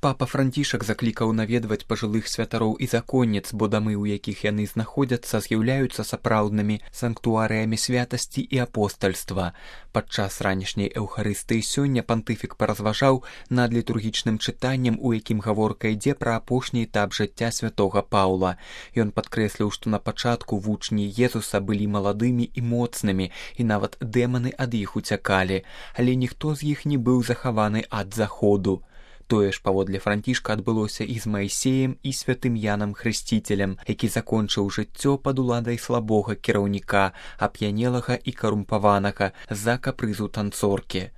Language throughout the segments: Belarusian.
Папа Францішак заклікаў наведваць пажылых святароў і законніц, бо дамы, у якіх яны знаходзяцца, з'яўляюцца сапраўднымі санктуарыямі святасці і апостальства. Падчас ранішняй эўхарыстыі сёння пантыфік паразважаў над літургічным чытаннем, у якім гаворка ідзе пра апошні этап жыцця святога Паўла. Ён падкрэсліў, што на пачатку вучні Езуса былі маладымі і моцнымі, і нават дэманы ад іх уцякалі, але ніхто з іх не быў захаваны ад заходу. Тое ж, паводле Францішка, адбылося і з Маісеем, і святым Янам Хрысціцелем, які закончыў жыццё пад уладай слабога кіраўніка, ап'янелага і карумпаванага з-за капрызу танцоркі.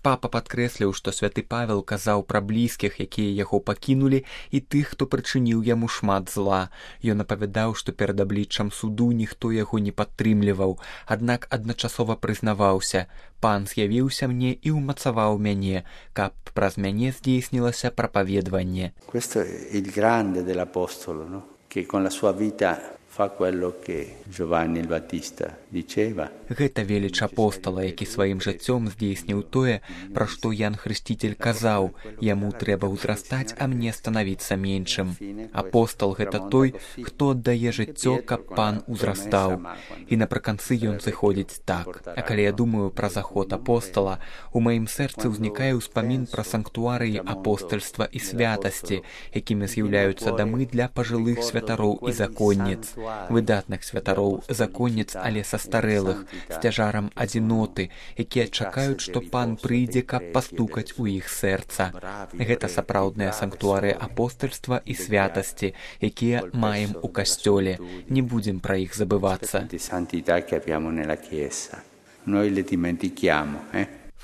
Папа падкрэсліў, што святы Павел казаў пра блізкіх, якія яго пакінулі, і тых, хто прычыніў яму шмат зла. Ён апавядаў, што перад абліччам суду ніхто яго не падтрымліваў, аднак адначасова прызнаваўся: «Пан з'явіўся мне і ўмацаваў мяне, каб праз мяне здзейснілася прапаведванне». Questo è il grande dell'apostolo, no? Che con la sua vita fa quello che Giovanni il Battista diceva. Гэта веліч апостала, які сваім жыццём здзейсніў тое, пра што Ян Хрысціцель казаў: «Яму трэба ўзрастаць, а мне станавіцца меншым». Апостал — гэта той, хто аддае жыццё, каб пан узрастаў. І напрыканцы ён зыходзіць так. А калі я думаю пра заход апостала, у маім сэрцы ўзнікае ўспамін пра санктуарыі апостальства і святасці, якімі з'яўляюцца дамы для пажылых святароў і законніц. Выдатных святароў, законніц, але састарэлых, з цяжарам адзіноты, якія чакаюць, што пан прыйдзе, каб пастукаць у іх сэрца. Гэта сапраўдныя санктуары апостальства і святасці, якія маем у касцёле. Не будзем пра іх забывацца.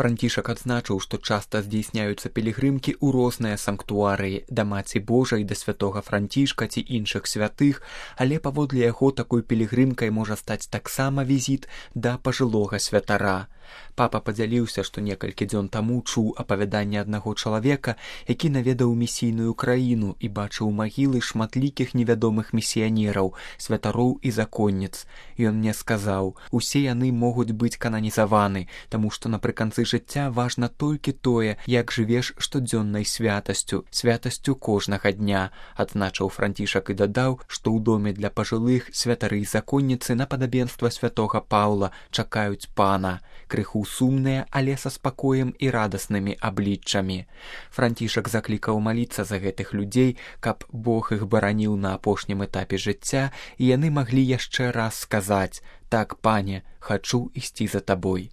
Францішак адзначыў, што часта здзейсняюцца пілігрымкі ў розныя санктуарыі, да Маці Божай, да святога Францішка ці іншых святых, але паводле яго такой пілігрымкай можа стаць таксама візіт да пажылога святара. Папа падзяліўся, што некалькі дзён таму чуў апавяданне аднаго чалавека, які наведаў місійную краіну і бачыў магілы шматлікіх невядомых місіянераў, святароў і законніц. Ён мне сказаў: «Усе яны могуць быць кананізаваны, таму што напрыканцы жыцця важна толькі тое, як жывеш штодзённай святасцю, святасцю кожнага дня». Адзначыў Францішак і дадаў, што ў доме для пажылых святары і законніцы на падабенства святога Паўла чакаюць пана, крыху сумныя, але са спакоем і радаснымі абліччамі. Францішак заклікаў маліцца за гэтых людзей, каб Бог іх бараніў на апошнім этапе жыцця, і яны маглі яшчэ раз сказаць: «Так, пане, хачу ісці за табой».